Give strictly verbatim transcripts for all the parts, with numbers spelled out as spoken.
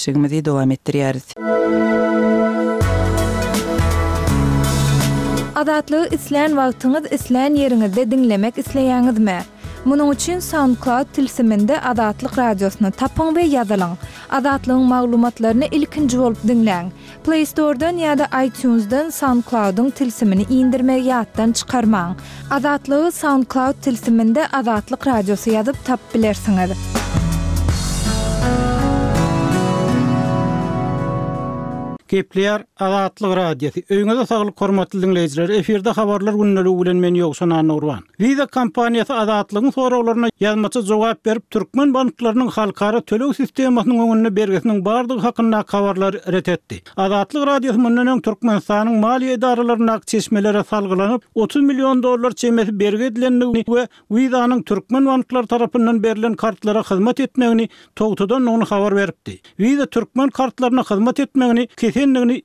Gepleşigimizi dowam etdirýäris. Azatlygy islän wagtyňyz, islän ýeriňizde diňlemek isleýäňizmi? Munuň üçin SoundCloud tilsiminde Azatlyk Radiosyny tapyň we ýazylyň. Azatlygyň maglumatlaryny ilkinji bolup diňläň. Play Store-dan ýa-da iTunes-dan SoundCloud-yň tilsimini indirmegi ýatdan çykarmaň. Azatlygy SoundCloud tilsiminde Azatlyk Radiosy ýazyp tapyp bilersiňiz. Gepleýär Azatlyk Radiosy. Öýüňize saglyk hormatly diňleýjiler. Efirde habarlar gündeligi bilen men Ýowşan Annagurban. Visa kompaniýasy Azatlygyň soraglaryna ýazmaça jogap berip, türkmen banklarynyň halkara töleg sistemasynyň öňünde bergisiniň bardygy hakynda habarlary ret etdi. Azatlyk Radiosy mundan öň Türkmenistanyň maliýe edaralaryndaky çeşmelere salgylanyp, otuz million dollar çemesi bergi edilendigini we Visa'nyň türkmen banklary tarapyndan berlen kartlara hyzmat etmegini togtadandygyny habar beripdi. Visa türkmen kartlaryna hyzmat etmegini kesendigini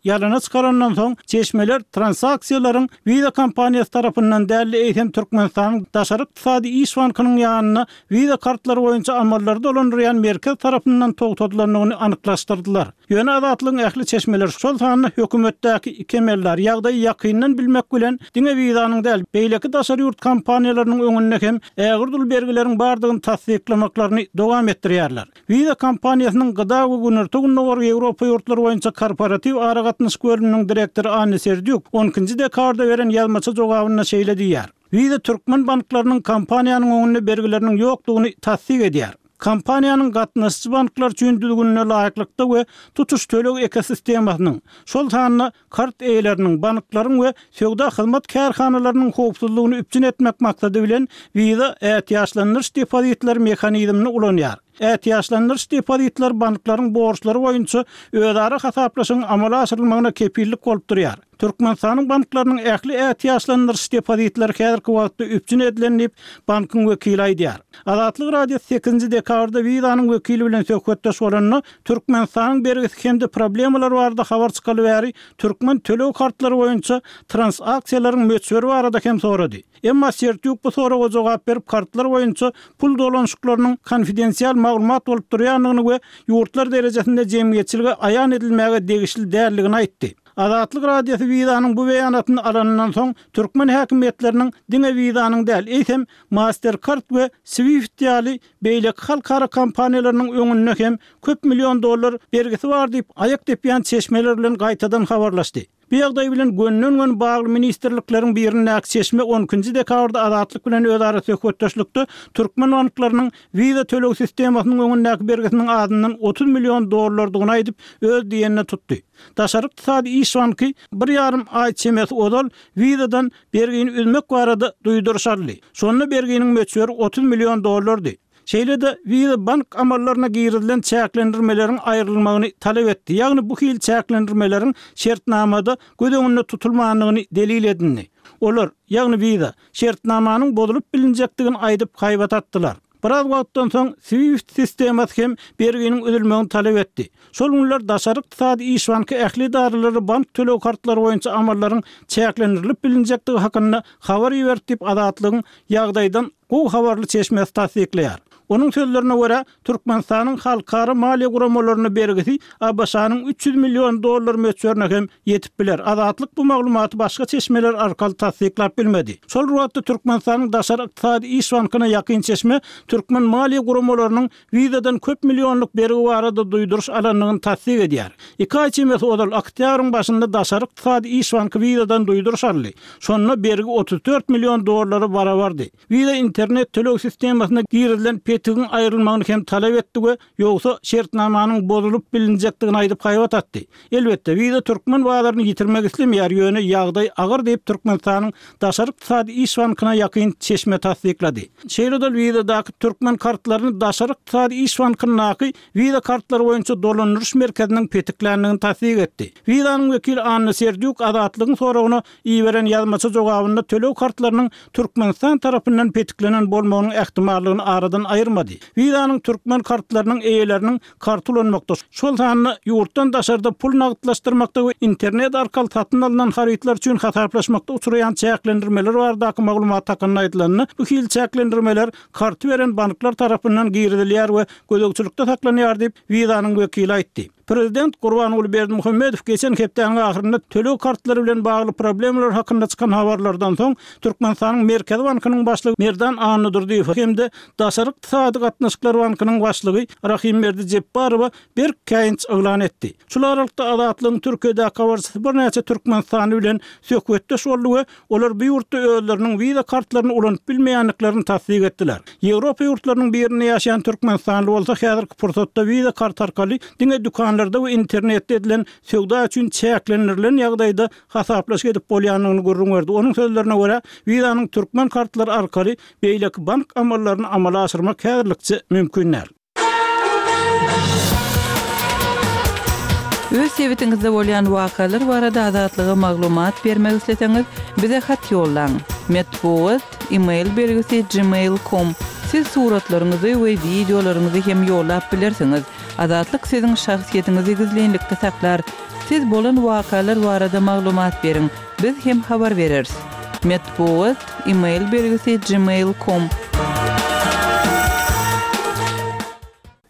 ýalana çykarandan soň çeşmeler transaksiýalaryň Visa kompaniýasy tarapyndan däl, eýsem Türkmenistanyň Daşary ykdysady iş bankynyň ýanynda Visa kartlary boýunça amallary dolandyrýan merkez tarapyndan togtadylandygyny anyklaşdyrdylar. Ýöne Azatlygyň ähli çeşmeler, şol sanda hökümetdäki iki emeldar ýagdaýy ýakyndan bilmek bilen diňe Visa'nyň däl, beýleki daşary ýurt kompaniýalarynyň öňünde hem ägirt uly bergileriň bardygyny tassyklamaklaryny dowam etdirýärler. Visa kompaniýasynyň Gda we Günorta Gündogar Ýewropa ýurtlary boýunça korporatiw aragatnaşyk bölüminiň direktory Anna Serdýuk on ikinji dekabrda beren ýazmaça jogabynda şeýle diýýär. Visa türkmen banklarynyň kompaniýanyň öňünde bergileriniň ýokdugyny tassyk edýär. Kompaniýanyň gatnaşyjy banklar üçin düzgünine laýyklykda we tutuş töleg ekosistemasynyň, şol sanda kart eýeleriniň, banklaryň we söwda hyzmat kärhanalarynyň howpsuzlygyny üpjün etmek maksady bilen Visa ätiýaçlandyryş depozitleri mehanizmini ulanýar. Ätiýaçlandyryş depozitler banklaryň borçlary boýunça özara hasaplaşygyň amala aşyrylmagyna kepillik bolup durýar. Türkmenistanyň banklarynyň ähli ätiýaçlandyryş depozitleri häzirki wagtda üpjün edilen diýip, bankyň wekili aýdýar. Azatlyk Radiosy sekizinji dekabrda Visa'nyň wekili bilen söhbetdeş bolanda, Türkmenistanyň bergisi hem-de problemalar barada habar çykaly bäri türkmen töleg kartlary boýunça transaksiýalaryň möçberi barada hem sorady. Emma Serdýuk bu soraga jogap berip, kartlar boýunça pul dolanyşyklarynyň konfidensial maglumat bolup durýandygyny we ýurtlar derejesinde jemgyýetçilige aýan edilmäge degişli däldigini aýtdy. Azatlyk Radiosy Visa'nyň bu beýanatyny alanyndan soň türkmen häkimiýetleriniň diňe Visa'nyň däl, eýsem Mastercard we Swift ýaly beýleki halkara kompaniýalarynyň öňünde hem köp million dollar bergisi bar diýip aýak depýän çeşmeler bilen gaýtadan habarlaşdy. Bu ýagdaý bilen gönden-gön bagly ministrlikleriň birindäki çeşme on ikinji dekabrda Azatlyk bilen özara söhbetdeşlikde türkmen banklarynyň Visa töleg sistemasynyň öňündäki bergisiniň azyndan otuz million dollardygyny aýdyp, öz diýenine tutdy. Daşary ykdysady iş banky bir ýarym aý çemesi ozal Visa'dan bergini üzmek barada duýduryş aldy. Şonda berginiň möçberi otuz million dollardy. Şeýle-de Visa bank amallaryna girizilen çäklendirmeleriň aýrylmagyny talap etdi. Ýagny bu hil çäklendirmeleriň şertnamada göz öňünde tutulmandygyny delil edindi. Olar, ýagny Visa, şertnamanyň bozulyp bilinjekdigini aýdyp haýbat atdylar. Biraz wagtdan soň Swift sistemasy hem berginiň üzülmegini talap etdi. Şol günler Daşary ykdysady iş banky ähli edaralary bank töleg kartlary boýunça amallaryň çäklendirilip bilinjekdigi hakynda habar iberdi diýip Azatlygyň ýagdaýdan gowy habarly çeşmesi tassyklaýar. Onuň sözlerine görä, Türkmenistanyň halkara maliýe guramalaryna bergisi A B Ş-nyň üç ýüz million dollar möçberine hem ýetip biler. Azatlyk bu maglumaty başga çeşmeler arkaly tassyklap bilmedi. Şol wagtda Türkmenistanyň Daşary ykdysady iş bankyna ýakyn çeşme türkmen maliýe guramalarynyň Visa'dan köp millionlyk bergi barada duýduryş alandygyny tassyk edýär. Iki aý çemesi ozal oktýabryň başynda Daşary ykdysady iş banky Visa'dan duýduryş aldy. Şonda bergi otuz dört million dollara barabardy. Visa internet töleg sistemasyna girizilen petigiň aýrylmagyny hem talap etdi we ýogsa şertnamanyň bozulyp bilinjekdigini aýdyp haýbat atdy. Elbetde, Visa türkmen bazaryny ýitirmek islemeýär, ýöne ýagdaý agyr diýip Türkmenistanyň Daşary ykdysady iş bankyna ýakyn çeşme tassyklady. Şeýle-de Visa'daky türkmen kartlaryny Daşary ykdysady iş bankyndaky Visa kartlary boýunça dolandyryş merkeziniň petikländigini tassyk etdi. Visa'nyň wekili Anna Serdýuk Azatlygyň soragyna iberen ýazmaça jogabynda töleg kartlarynyň Türkmenistan tarapyndan petiklenen bolmagynyň ähtimallygyny aradan aýyrmady. Visa'nyň türkmen kartlarynyň eýeleriniň kart ulanmakda, şol sanda ýurtdan daşarda pul nagtlaşdyrmakda we internet arkaly satyn alynan harytlar üçin hasaplaşmakda uçraýan çäklendirmeler baradaky maglumat hakynda aýdylanda, bu hil çäklendirmeler karty beren banklar tarapyndan girizilýär we gözegçilikde saklanýar diýip Visa'nyň wekili aýtdy. Prezident Gurbanguly Berdimuhamedow geçen hepdäniň ahyrynda töleg kartlary bilen bagly problemalar hakynda çykan habarlardan soň Türkmenistanyň Merkezi bankynyň başlygy Merdan Annadurdyýew hem-de Daşary ykdysady gatnaşyklar bankynyň başlygy Rahimberdi Jepbarowa berk käýinç yglan etdi. Şul aralykda Azatlygyň Türkiýedäki habarçysy birnäçe türkmenistanly bilen söhbetdeş boldy we olar bu ýurtda özleriniň Visa kartlaryny ulanyp bilmeýändiklerini tassyk etdiler. Ýewropa ýurtlarynyň birinde ýaşaýan türkmenistanly bolsa häzirki pursatda Visa kart arkaly diňe dükanlarda we internetde edilen söwda üçin çäklendirilen ýagdaýda hasaplaşyk edip bolýandygyny gürrüň berdi. Onuň sözlerine görä, Visa'nyň türkmen kartlary arkaly beýleki bank amallaryny amala aşyrmak häzirlikçe mümkin däl. Öz sebitiňizde bolýan wakalar barada Azatlyga maglumat bermek isleseňiz, bize hat ýollaň. Metbugat, e-mail belgisi gmail nokta com. Siz suratlaryňyzy we wideolaryňyzy hem ýollap bilersiňiz. Azatlyk siziň şahsyýetiňizi gizlinlikde saklar. Siz bolan wakalar barada maglumat beriň. Biz hem habar bereris. Metbugat, e-mail belgisi gmail nokta com.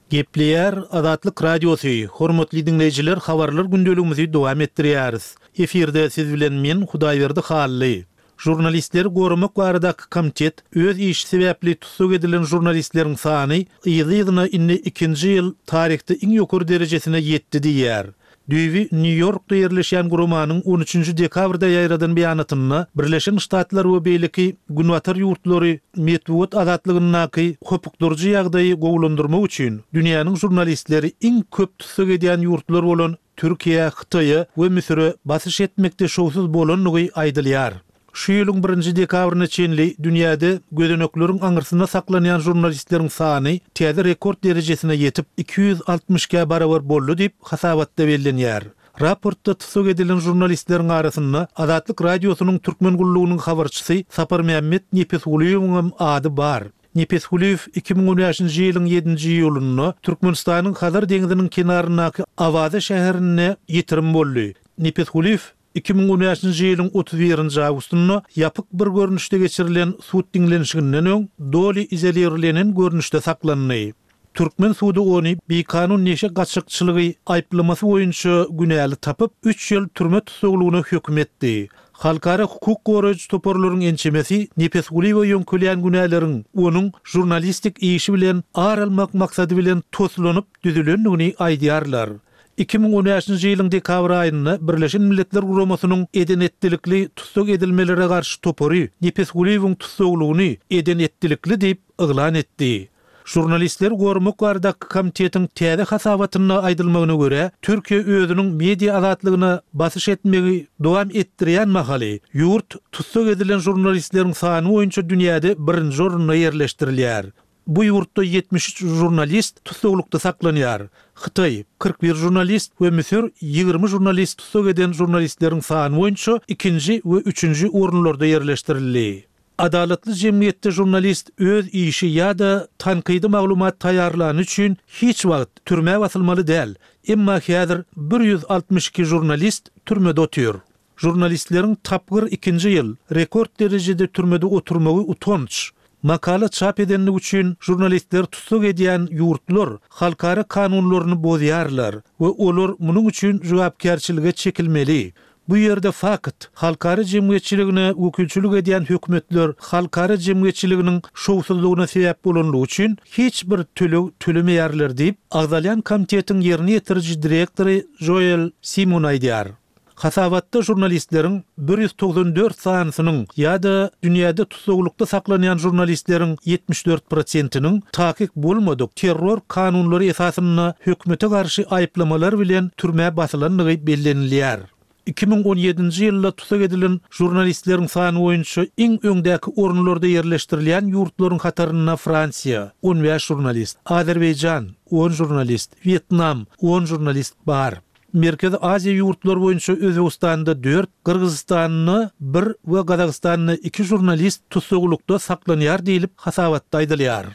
Gepleýär Azatlyk Radiosy, hormatly diňleýjiler, habarlar gündeligimizi dowam etdirýäris. Efirde siz bilen men Hudaýberdi Hally. Žurnalistleri goramak baradaky komitet öz işi sebäpli tussag edilen žurnalistleriň sany ýygy-ýygyna indi ikinji ýyl taryhda iň ýokary derejesine ýetdi diýýär. Düýbi Nýu-Ýorkda ýerleşýän guramanyň on üçünji dekabrda ýaýradan beýanatynda Birleşen Ştatlar we beýleki Günbatar ýurtlary metbugat azatlygyndaky hopukdyryjy ýagdaýy gowulandyrmak üçin dünýäniň žurnalistleri iň köp tussag edýän ýurtlar bolan Türkiýe, Hytaýa we Müsüre basyş etmekde şowsuz bolandygy aýdylýar. Şu ýylyň birinji dekabryna çenli dünýäde gözenekleriň aňyrsynda saklanýan žurnalistleriň sany täze rekord derejesine ýetip iki ýüz altmyş ikä barabar boldy diýip hasabatda bellenýär. Raportda tussag edilen žurnalistleriň arasynda Azatlyk Radiosynyň Türkmen gullugynyň habarçysy Saparmämmet Nepesgulyýewiň hem ady bar. Nepesgulyýew iki müň on bäşinji ýylyň ýedinji iýulynda Türkmenistanyň Hazar deňziniň kenaryndaky Awaza şäherinde ýitirim boldy. Nepesgulyýew iki müň on bäşinji ýylyň otuz birinji awgustynda ýapyk bir görnüşde geçirilen sud diňlenişiginden öň doly izolirlenen görnüşde saklandy. Türkmen sudy ony bikanun neşe gaçakçylygy aýyplamasy boýunça günäli tapyp, üç ýyl türme tussaglygyna höküm etdi. Halkara hukuk goraýjy toparlaryň ençemesi Nepesgulyýewe ýöňkelýän günäleriň onuň žurnalistik işi bilen ar almak maksady bilen toslanyp düzülendigini aýdýarlar. Iki müň on bäşinji ýylyň dekabr aýynda Birleşen Milletler Guramasynyň eden-etdilikli tussag edilmelere garşy topary Nepesgulyýewiň tussaglygyny eden-etdilikli diýip yglan etdi. Žurnalistleri goramak baradaky komitetiň täze hasabatynda aýdylmagyna görä, Türkiýe özüniň media azatlygyna basyş etmegi dowam etdirýän mahaly ýurt tussag edilen žurnalistleriň sany boýunça dünýäde birinji orunda ýerleşdirilýär. Bu ýurtda ýetmiş üç žurnalist tussaglykda saklanýar. Hytaý kyrk bir žurnalist we Müsür ýigrimi žurnalist tussag eden žurnalistleriň sany boýunça ikinji we üçünji orunlarda ýerleşdirildi. Adalatly jemgyýetde žurnalist öz işi ýa-da tankydy maglumat taýýarlany üçin hiç wagt türmä basylmaly däl. Emma häzir bir ýüz altmyş iki žurnalist türmede otyr. Žurnalistleriň tapgyr ikinji ýyl rekord derejede türmede oturmagy utanç. Makala çap edenlik üçin žurnalistler tussag edýän ýurtlar halkara kanunlaryny bozýarlar we olar munuň üçin jogapkärçilige çekilmeli. Bu ýerde fakt, halkara jemgyýetçiligine wekilçilik edýän hökümetler halkara jemgyýetçiliginiň şowsuzlygyna sebäp bolanlygy üçin hiç bir töleg tölemeýärler diýip, agzalýan komitetiň ýerine ýetiriji direktory Joel Simon aýdýar. Hasabatda žurnalistleriň bir ýüz togsan dört sanysynyň ýa-da dünýäde tussaglykda saklanýan žurnalistleriň ýetmiş dört prosentiniň takyk bolmadyk terror kanunlary esasynda hökümete garşy aýyplamalar bilen türmä basylandygy bellenilýär. Iki müň on ýedinji ýylda tussag edilen žurnalistleriň sany boýunça iň öňdäki orunlarda ýerleşdirilýän ýurtlaryň hatarynda Fransiýa on bäş žurnalist, Azerbaýjan on žurnalist, Wýetnam on žurnalist bar. Merkezi Aziýa ýurtlary boýunça Özbegistanda dört, Gyrgyzystanda bir we Gazagystanda iki žurnalist tussaglykda saklanýar diýlip hasabatda aýdylýar.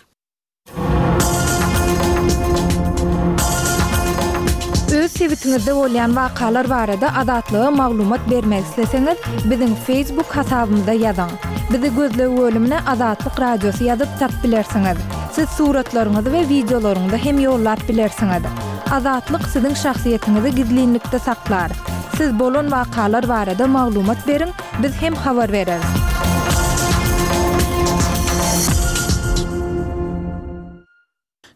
Öz sebitiňizde bolýan wakalar barada Azatlyga maglumat bermek isleseňiz, biziň Facebook hasabymyza ýazyň. Bizi gözleg bölümine Azatlyk Radiosy ýazyp tap bilersiňiz. Siz suratlaryňyzy we wideolaryňyzy hem ýollap bilersiňiz. Azatlyk siziň şahsyýetiňizi gizlinlikde saklar. Siz bolan wakalar barada maglumat beriň, biz hem habar bereris.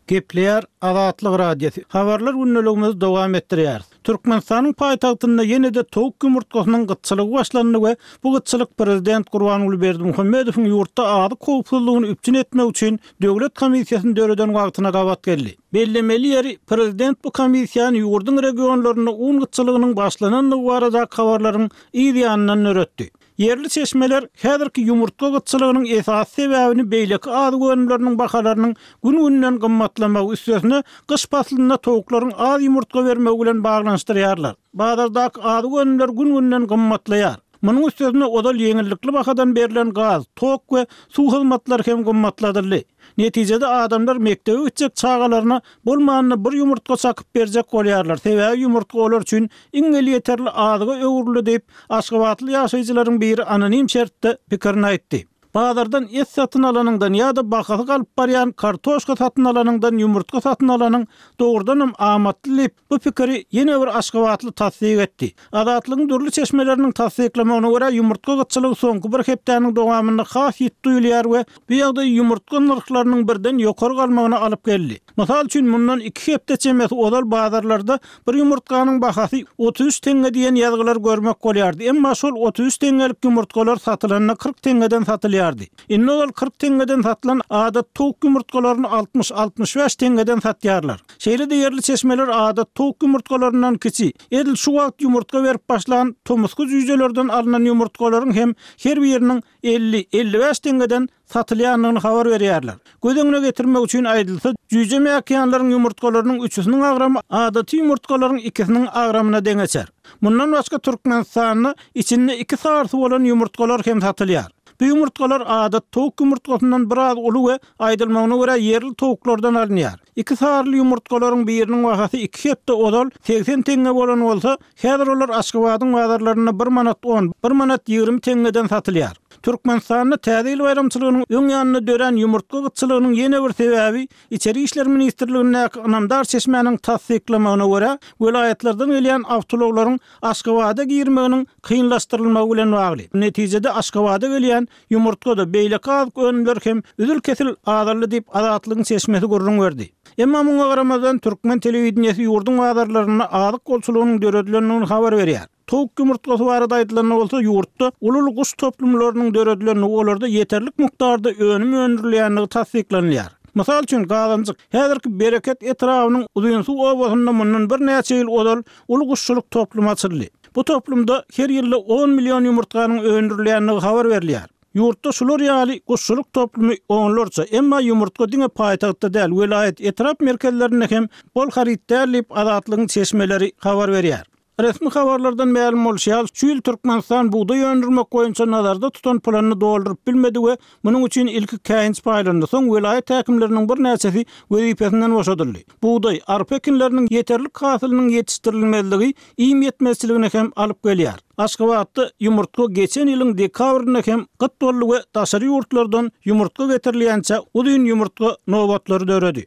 Gepleýär Azatlyk Radiosy. Habarlar gündeligimizi dowam etdirýär. Türkmenistanyň paýtagtynda ýene-de towuk ýumurtgasynyň gytçylygy başlandy we bu gytçylyk prezident Gurbanguly Berdimuhamedowyň ýurtda azyk howpsuzlygyny üpjün etmek üçin döwlet komissiýasyny döreden wagtyna gabat geldi. Bellemeli ýeri prezident bu komissiýany ýurduň regionlarynda un gytçylygynyň başlanandygy barada habarlaryň yz ýanyndan döretdi. Ýerli çeşmeler häzirki ýumurtga gytçylygynyň esasy sebäbini beýleki azyk önümleriniň bahalarynyň gün-günden gymmatlamagy üstesine gyş paslynda towuklaryň az ýumurtga bermegi bilen baglanyşdyrýarlar. Bazardaky azyk önümler gün-günden gymmatlaýar. Munuň üstesine ozal ýeňillikli bahadan berlen gaz, tok we suw hyzmatlary hem gymmatladyldy. Netijede adamlar mekdebe gitjek çagalaryna bolmanda bir ýumurtga çakyp berjek bolýarlar. Sebäbi ýumurtga olar üçin iň elýeterli azyga öwrüldi diýip, Aşgabatly ýaşaýjylaryň biri anonim şertde pikirini aýtdy. Bazardan et satyn alanyňdan ýa-da bahasy galyp barýan kartoşka satyn alanyňdan ýumurtga satyn alanyň dogrudanam amatly diýip, bu pikiri ýene bir Aşgabatly tassyk etdi. Azatlygyň dürli çeşmeleriniň tassyklamagyna görä ýumurtga gytçylygy soňky bir hepdäniň dowamynda has ýitdi duýulýar we bu ýagdaý ýumurtga nyrhlarynyň birden ýokary galmagyna alyp geldi. Mysal üçin mundan iki hepde çemesi ozal bazarlarda bir ýumurtganyň bahasy otuz üç teňňe diýen ýazgylar görmek bolýardy. Emma şol otuz üç teňňelik ýumurtgalar satylanda kyrk teňňeden satylýardy. Indi ozal kyrk teňňeden satylan adat towuk ýumurtgalaryny altmyş altmyş bäş teňňeden satýarlar. Şeýle-de ýerli çeşmeler adat towuk ýumurtgalaryndan kiçi, edil şu wagt ýumurtga berip başlan tomusky jüýjelerden alynan ýumurtgalaryň hem her biriniň elli elli bäş teňňeden satylýandygyny habar berýärler. Göz öňüne getirmek üçin aýdylsa, jüýje mäkiýanlaryň ýumurtgalarynyň üçüsiniň agramy adaty ýumurtgalaryň ikisiniň agramyna deňeçer. Mundan başga Türkmenistanda içinde iki sarsy bolan ýumurtgalar hem satylýar. Bu ýumurtgalar adat towuk ýumurtgasyndan biraz uly we aýdylmagyna görä ýerli towuklardan alynýar. Iki sarly ýumurtgalaryň biriniň bahasy iki hepde ozal seksen teňňe bolan bolsa, häzir olar Aşgabadyň bazarlarynda bir manat on, bir manat ýigrimi teňňeden satylýar. Türkmenistanda Täze ýyl baýramçylygynyň öň ýanynda dörän ýumurtga gytçylygynyň ýene bir sebäbi Içeri işler ministrligindäki ynamdar çeşmäniň tassyklamagyna görä, welaýatlardan gelýän awtoulaglaryň Aşgabada girmeginiň kynlaşdyrylmagy bilen bagly. Netijede Aşgabada gelýän ýumurtga-da beýleki azyk önümler hem üzül-kesil azaldy diýip Azatlygyň çeşmesi gürrüň berdi. Emma muňa garamazdan türkmen telewideniýesi ýurduň bazarlarynda azyk bolçulygynyň döredilendigini habar berýär. Towuk ýumurtgasy barada aýdylanda bolsa ýurtda uly guş toplumlarynyň döredilendigi, olarda ýeterlik mukdarda önüm öndürilýändigi tassyklanylýar. Mysal üçin Gazanjyk häzirki Bereket etrabynyň Uzynsuw obasynda mundan birnäçe ýyl ozal uly guşçulyk toplumy açyldy. Bu toplumda her ýylda on million ýumurtganyň öndürilýändigi habar berilýär. Ýurtda şular ýaly guşçulyk toplumy onlarça, emma ýumurtga diňe paýtagtda däl, welaýat etrap merkezlerinde hem bol haryt däl diýip Azatlygyň çeşmeleri habar berýär. Resmi habarlardan mälim bolşy ýaly, şu ýyl Türkmenistan bugdaý öndürmek boýunça nazarda tutan planyny dolduryp bilmedi we munuň üçin ilki käýinç paýlandy, soň welaýat häkimleriniň birnäçesi wezipesinden boşadyldy. Bugdaý, arpa ekinleriniň ýeterlik hasylynyň ýetişdirilmezligi iým ýetmezçiligine hem alyp gelýär. Aşgabatda ýumurtga geçen ýylyň dekabrynda hem gyt boldy we daşary ýurtlardan ýumurtga getirilýänçä uzyn ýumurtga nobatlary döredi.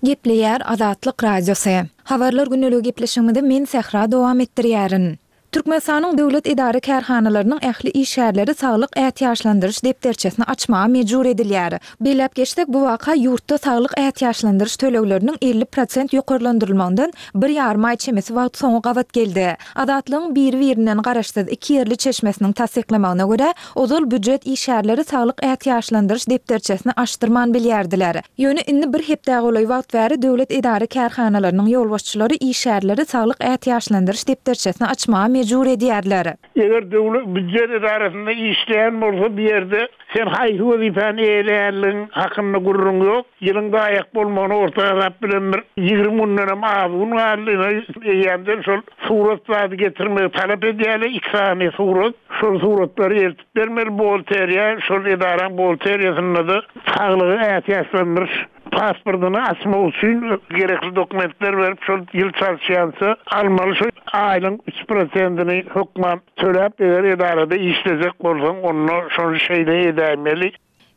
Gepleýär Azatlyk Radiosy. Habarlar gündeligi gepleşigimizi men Sähra dowam etdirýärin. Türkmenistanyň döwlet edara kärhanalarynyň ähli işgärleri saglyk ätiýaçlandyryş depderçesini açmaga mejbur edilýär. Belläp geçsek, bu waka ýurtda saglyk ätiýaçlandyryş tölegleriniň elli prosent ýokarlandyrylmagyndan bir ýarym aý çemesi wagt soňa gabat geldi. Azatlygyň biri-birinden garaşsyz iki ýerli çeşmesiniň tassyklamagyna görä, ozal býujet işgärleri saglyk ätiýaçlandyryş depderçesini açdyrman bilýärdiler. Ýöne indi bir hepdä golaý wagt bäri döwlet edara kärhanalarynyň ýolbaşçylary işgärleri saglyk ätiýaçlandyryş depderçesini açmaga mejbur edýärler. Eger döwlet býujet edarasynda işleýän bolsa bir ýerde sen haýsy wezipäni eýeleýänligiň hakynda gürrüň ýok. Ýylyň daýak bolmagyny orta hasap bilen bir ýigrimi günden az gün galdy. Eýýämden şol surat zady getirmegi talap edýärler. Iki sany surat, şol suratlary eltip bermeli buhgalteriýa, şol edaraň buhgalteriýasynda-da saglygy ätiýaçlandyryş pasportyny açmak üçin gerekli dokumentler berip, şol ýyl çalyşýança almaly şu aýlyň üç prosentini hökman töläp, eger edarada işlejek bolsaň, onda şony şeýle edäýmeli.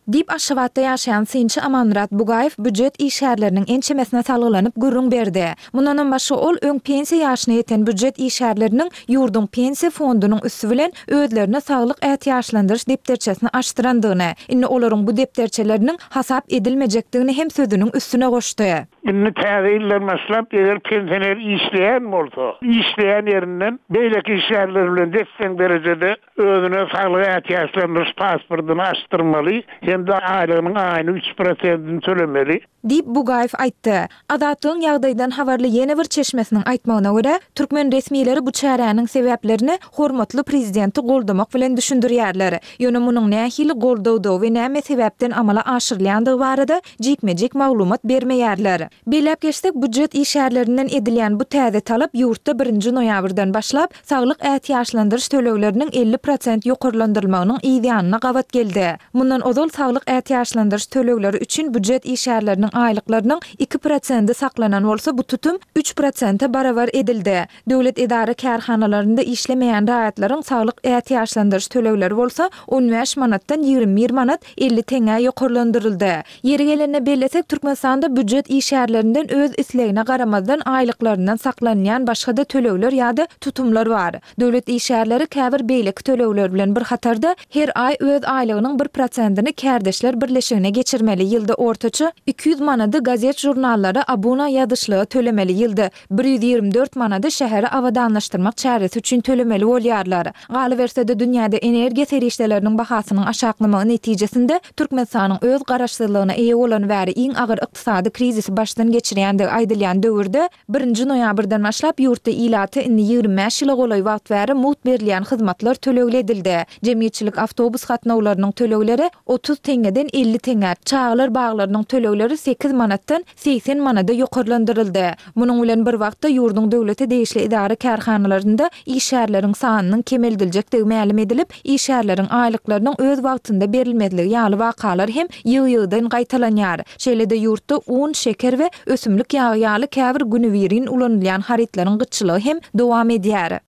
Diýip, Aşgabatda ýaşaýan synçy Amanmyrat Bugaýew býujet işgärleriniň ençemesine salgylanyp gürrüň berdi. Mundanam başga ol öň pensiýa ýaşyna ýeten býujet işgärleriniň ýurduň pensiýa fondunyň üsti bilen özlerine saglyk ätiýaçlandyryş depderçesini açdyrandygyny, indi olaryň bu depderçeleriniň hasap edilmejekdigini hem sözüniň üstüne goşdy. Indi täze ýyldan başlap, eger pensioner işleýän bolsa, işleýän ýerinden beýleki işgärler bilen des-deň derejede özüne saglyk ätiýaçlandyryş pasportyny açdyrmaly hem-de aýlygynyň aýyny üç prosentini tölemeli. Diýip, Bugaýew aýtdy. Azatlygyň ýagdaýdan habarly ýene bir çeşmesiniň aýtmagyna görä, türkmen resmileri bu çäräniň sebäplerini hormatly prezidenti goldamak bilen düşündirýärler. Ýöne munuň nähili goldawdygy we näme sebäpden amala aşyrylýandygy barada jikme-jik maglumat bermeýärler. Belläp geçsek, býujet işgärlerinden edilýän bu täze talap ýurtda birinji noýabrdan başlap, saglyk ätiýaçlandyryş tölegleriniň elli prosent ýokarlandyrylmagynyň yz ýanyna gabat geldi. Mundan ozal saglyk ätiýaçlandyryş tölegleri üçin býujet işgärleriniň aýlyklarynyň iki prosendi saklanan bolsa, bu tutum üç prosente barabar edildi. Döwlet edara-kärhanalarynda işlemeýän raýatlaryň saglyk ätiýaçlandyryş tölegleri bolsa on bäş manatdan ýigrimi bir manat elli teňňä ýokarlandyryldy. Ýeri gelende bellesek, Türkmenistanda býujet işgärlerinden öz islegine garamazdan aýlyklaryndan saklanylýan başga-da tölegler ýa-da tutumlar bar. Döwlet işgärleri käbir beýleki tölegler bilen bir hatarda her aý öz aýlygynyň bir prosentini kärdeşler birleşigine geçirmeli, ýylda ortaça iki ýüz manady gazet-žurnallara abuna ýazyşlyga tölemeli, ýylda bir ýüz ýigrimi dört manady şäheri abadanlaşdyrmak çäresi üçin tölemeli bolýarlar. Galyberse-de, dünýäde energiýa serişdeleriniň bahasynyň aşaklamagy netijesinde Türkmenistanyň öz garaşsyzlygyna eýe bolany bäri iň agyr ykdysady krizisi başdan geçirýändigi aýdylýan döwürde, birinji noýabrdan başlap ýurtda ilata indi ýigrimi bäş ýyla golaý wagt bäri mugt berilýän hyzmatlar tölegli edildi. Jemgyýetçilik awtobus gatnawlarynyň tölegleri otuz teňňeden elli teňňä, çagalar baglarynyň tölegleri sekiz manatdan segsen manada ýokarlandyryldy. Munuň bilen bir wagtda ýurduň döwlete degişli edara-kärhanalarynda işgärleriň sanynyň kemeldiljekdigi mälim edilip, işgärleriň aýlyklarynyň öz wagtynda berilmezligi ýaly wakalar hem ýygy-ýygydan gaýtalanýar. Şeýle-de ýurtda un, şeker we ösümlik ýagy ýaly käbir günübirin ulanylýan harytlaryň gytçylygy hem dowam edýär.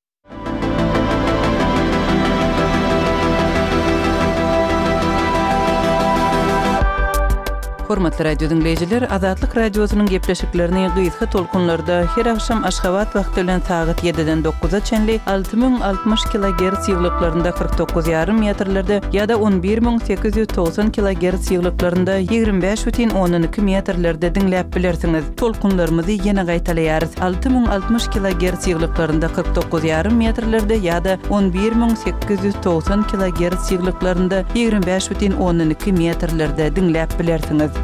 Hormatly radio diňleýjiler, Azatlyk radiosynyň gepleşiklerini gysga tolkunlarda her agşam Aşgabat wagty bilen sagat ýediden dokuza çenli alty müň altmyş kilogerts ýyglyklarynda kyrk dokuz ýarym metrlerde ýa-da on bir müň sekiz ýüz togsan kilogerts ýyglyklarynda ýigrimi bäş bütin ondan iki metrlerde diňläp bilersiňiz. Tolkunlarymyzy ýene gaýtalaýarys. Alty müň altmyş kilogerts ýyglyklarynda kyrk dokuz ýarym metrlerde ýa-da on bir müň sekiz ýüz togsan kilogerts ýyglyklarynda ýigrimi bäş bütin ondan iki metrlerde diňläp bilersiňiz.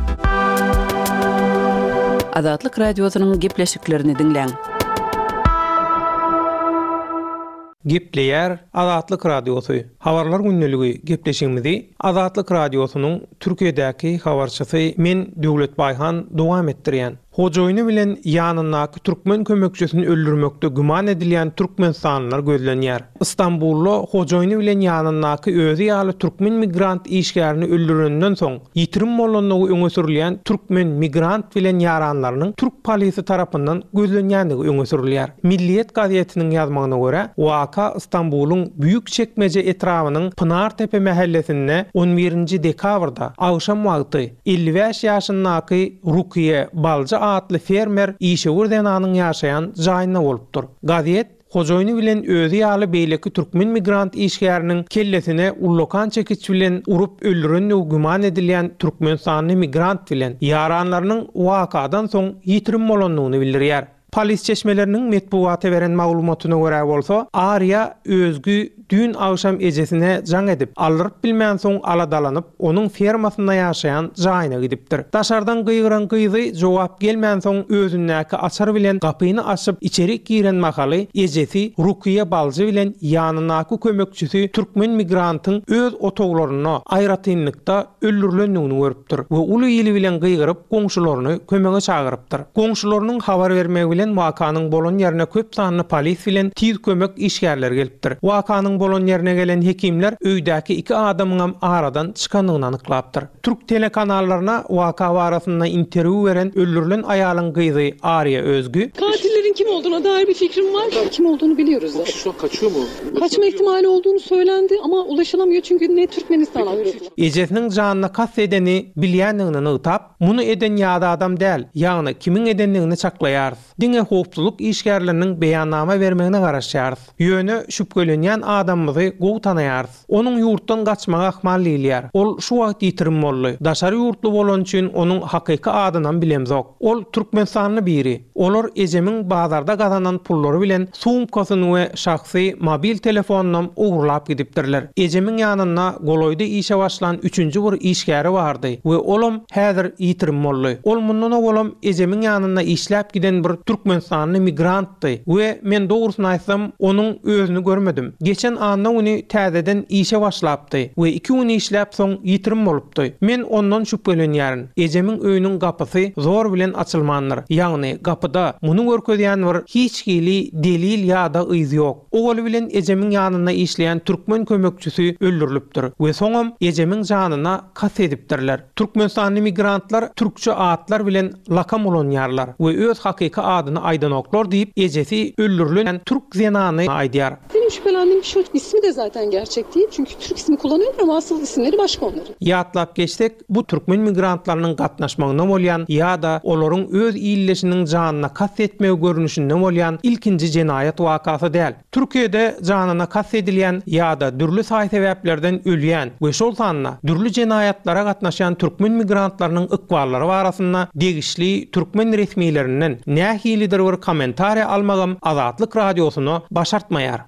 Azatlyk radiosynyň gepleşiklerini diňläň. Gepleýär Azatlyk radiosy. Habarlar gündeligi gepleşigimizi Azatlyk radiosynyň Türkiýedäki habarçysy men Döwlet Baýhan dowam etdirýän. Hojaýyny bilen ýanyndaky türkmen kömekçisini öldürmekde güman edilýän Türkmenistanlylar gözlenýär. Istanbulda hojaýyny bilen ýanyndaky özi ýaly türkmen migrant işgärini öldürenden soň ýitirim bolandygy öňe sürülýän türkmen migrant bilen ýaranlarynyň türk polisi tarapyndan gözlenýändigi öňe sürülýär. Milliýet gazetiniň ýazmagyna görä, waka Istanbulyň Büyükçekmece etrabynyň Pınartepe mahallesinde on birinji dekabrda agşam wagty elli bäş ýaşyndaky Rukiye Balja atly fermer işewür zenanyň ýaşaýan jaýynda bolupdyr. Gazet hojaýyny bilen özi ýaly beýleki türkmen migrant işgäriniň kellesine ullakan çekiç bilen urup öldürendigi güman edilýän Türkmenistanly migrant bilen ýaranlarynyň wakadan soň ýitirim bolandygyny bildirýär. Polis çeşmeleriniň metbugata beren maglumatyna görä bolsa, Arya özgü düýn agşam ejesine jaň edip, aldyryp bilmän soň aladalanyp, onuň fermasynda ýaşaýan jaýyna gidipdir. Daşardan gygyran gyzy jogap gelmän soň özündäki açar bilen gapyny açyp içeri giren mahaly ejesi Rukiye Baljy bilen ýanyndaky kömekçisi türkmen migrantyň öz otaglaryna aýratynlykda öldürilendigini görüpdir we uly ýyly bilen gygyryp goňşularyny kömege çagyrypdyr. Goňşularynyň habar bermegi bilen wakanyň bolan ýerine köp sanly polis bilen tiz kömek işgärleri gelipdir. Wakanyň bolan ýerine gelen hekimler öýdäki iki adamyň aradan çykandygyny anyklapdyr. Türk telekanallaryna waka barasynda interwýu beren öldürilen aýalyň gyzy Arya Özgü Katilleri Şüphelinin kim olduğuna dair bir fikrim var. Kim olduğunu biliyoruz zaten. Şu an kaçıyor mu? Kaçma ihtimali olduğunu söylendi ama ulaşılamıyor çünkü ne Türkmenistan ulaşılıyor. Ejesiniň janyna kast edeni bilýändigini nygtap, muny eden ýa-da adam däl, ýagny kimiň edendigini çaklaýarys. Diňe howpsuzlyk işgärleriniň beýannama bermegine garaşýarys. Ýöne şübhelenýän adamymyzy gowy tanaýarys. Onuň ýurtdan gaçmagy ahmal diýilýär. Ol şu wagt ýitirim boldy. Daşary ýurtly bolany üçin onuň hakyky adynam bilemzok. Ol Türkmenistanly biri. Olar ejemiň bazarda gazanan pullary bilen sumkasyny we şahsy mobil telefonynam ogurlap gidipdirler. Ejemiň ýanynda golaýda işe başlan üçünji bir işgäri bardy we olam häzir ýitirim boldy. Ol mundan owalam ejemiň ýanynda işläp giden bir Türkmenistanly migrantdy we men dogrusyny aýtsam onuň özüni görmedim. Geçen anna güni täzeden işe başlapdy we iki gün işläp soň ýitirim bolupdy. Men ondan şübhelenýärin. Ejemiň öýüniň gapysy zor bilen açylmandyr. Ýagny gapyda muny görkezýän bir hiç hili delil ýa-da yz ýok. Owaly bilen ejemiň ýanynda işleýän türkmen kömekçisi öldürilipdir we soňam ejemiň janyna kast edipdirler. Türkmenistanly migrantlar türkçe atlar bilen lakam ulanýarlar we öz hakyky adyny aýdanoklar diýip ejesi öldürilen türk zenany aýdýar. Benim şüphelendiğim kişi o. İsmi de zaten gerçek değil. Çünkü Türk ismi kullanıyorlar ama asıl isimleri başka onların. Ýatlap geçsek, bu türkmen migrantlarynyň gatnaşmagyna bolýan ýa-da olaryň öz illeşiniň janyna kast etmegi görnüşinde bolýan ilkinji jenaýat wakasy däl. Türkiýede janyna kast edilýän ýa-da dürli saý sebäplerden ölýän we şol sanda dürli jenaýatlara gatnaşan türkmen migrantlarynyň ykballary barasynda degişli türkmen resmilerinden nähilidir bir kommentariýa almagam Azatlyk radiosyna başartmaýar.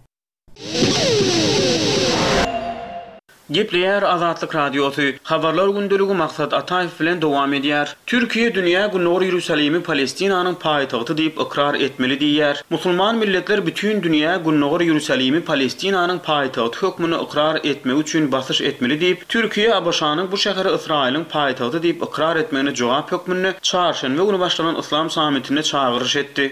Gepleýär Azatlyk Radiosy. Habarlar gündeligi Maksat Ataýew bilen dowam edýär. Türkiýe dünýä Gündogar Ýerusalimi Palestinanyň paýtagty diýip ykrar etmeli diýýär. Musulman milletler bütin dünýä Gündogar Ýerusalimi Palestinanyň paýtagty hökmünde ykrar etmegi üçin basyş etmeli diýip, Türkiýe ABŞ-nyň bu şäheri Ysraýylyň paýtagty diýip ykrar etmegine jogap hökmünde çarşenbe güni başlanan Yslam sammitinde çagyryş etdi.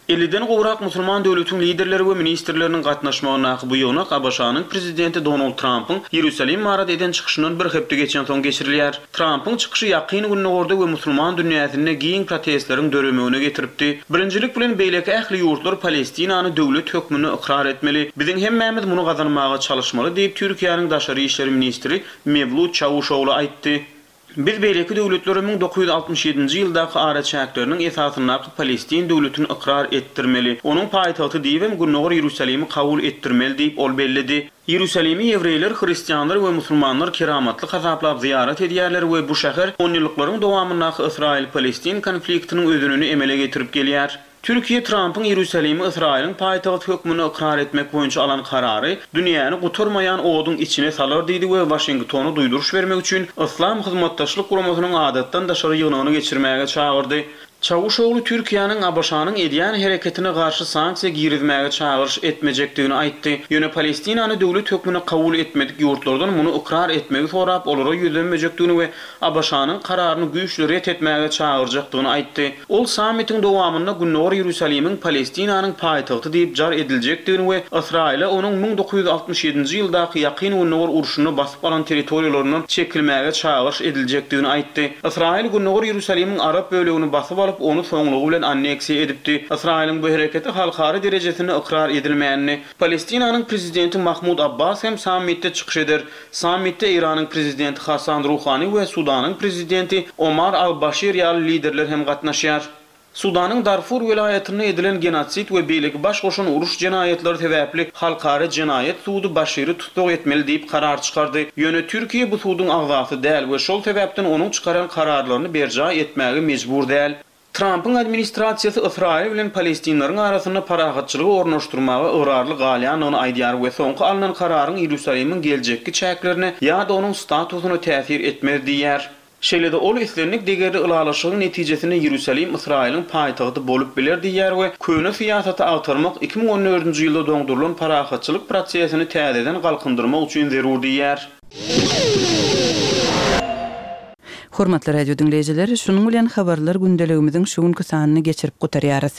Elliden gowrak musulman döwletiň liderleri we ministrleriniň gatnaşmagyndaky bu ýygnak ABŞ-nyň prezidenti Donald Trampyň Ýerusalim barada eden çykyşyndan bir hepde geçensoň geçirilýär. Trampyň çykyşy Ýakyn Gündogarda we musulman dünýäsinde giň protestleriň döremegine getiripdi. Birinjilik bilen beýleki ähli ýurtlar Palestinany döwlet hökmünde ykrar etmeli. Biziň hemmämiz muny gazanmaga çalyşmaly diýip, Türkiýäniň daşary işler ministri Mewlut Çawuşoglu aýtdy. Biz beýleki döwletlere müň dokuz ýüz altmyş ýedinji ýyldaky araçäkleriniň esasyndaky Palestin döwletini ykrar etdirmeli. Onuň paýtagty diýibem Gündogar Ýerusalimi kabul etdirmeli diýip ol belledi. Ýerusalimi ýewreýler, hristianlar we musulmanlar keramatly hasaplap zyýarat edýärler we bu şäher onýyllyklaryň dowamyndaky Ysraýyl-Palestin konfliktiniň özenini emele getirip gelýär. Türkiýe Trampyň Ýerusalimi Ysraýylyň paýtagty hökmünde ykrar etmek boýunça alan karary dünýäni gutarmaýan oduň içine salar diýdi we Waşingtona duýduryş bermek üçin Yslam Hyzmatdaşlyk Guramasynyň adatdan daşary ýygnagyny geçirmäge çagyrdy. Çawuşoglu Türkiýäniň ABŞ-nyň edýän hereketine garşy sanksiýa girizmäge çagyryş etmejekdigini aýtdy. Ýöne Palestinany döwlet hökmünde kabul etmedik ýurtlardan muny ykrar etmegi sorap olara ýüzlenmejekdigini we ABŞ-nyň kararyny güýçli ret etmäge çagyrjakdygyny aýtdy. Ol sammitiň dowamynda Gündogar Ýerusalimiň Palestinanyň paýtagty diýip jar ediljekdigini we Ysraýyla onuň müň dokuz ýüz altmyş ýedinji ýyldaky Ýakyn Gündogar urşunda basyp alan territoriýalaryndan çekilmäge çagyryş ediljekdigini aýtdy. Ysraýyl Gündogar Ýerusalimiň arap bölegini basyp alyp, ony soňlugy bilen anneksiýa edipdi. Ysraýylyň bu hereketi halkara derejesinde ykrar edilmänini. Palestinanyň prezidenti Mahmud Abbas hem sammitde çykyş eder. Sammitde Eýranyň prezidenti Hasan Ruhani we Sudanyň prezidenti Omar al-Başir ýaly liderler hem gatnaşýar. Sudanyň Darfur welaýatynda edilen genosid we beýleki baş goşan uruş jenaýatlary sebäpli halkara jenaýat sudy Başiri tussag etmeli diýip karar çykardy. Ýöne Türkiýe bu suduň agzasy däl we şol sebäpden onuň çykaran kararlaryny berjaý etmäge mejbur däl. Trampyň administrasiýasy Ysraýyl bilen Palestinleriň arasynda parahatçylygy ornaşdyrmaga ygrarly galýandygyny aýdýar we soňky alnan kararyň Ýerusalimiň geljekki çäklerine ýa-da onuň statusyna täsir etmez diýýär. Şeýle-de ol islendik degerli ylalaşygyň netijesinde Ýerusalim Ysraýylyň paýtagty bolup biler diýýär we köne syýasaty agtarmak iki müň on dördünji ýylda doňdurylan parahatçylyk prosesini täzeden galkyndyrmak üçin zerur diýýär. Hormatly radio diňleýjiler, şunuň bilen habarlar gündeligimiziň şu günki sanyny geçirip gutarýarys.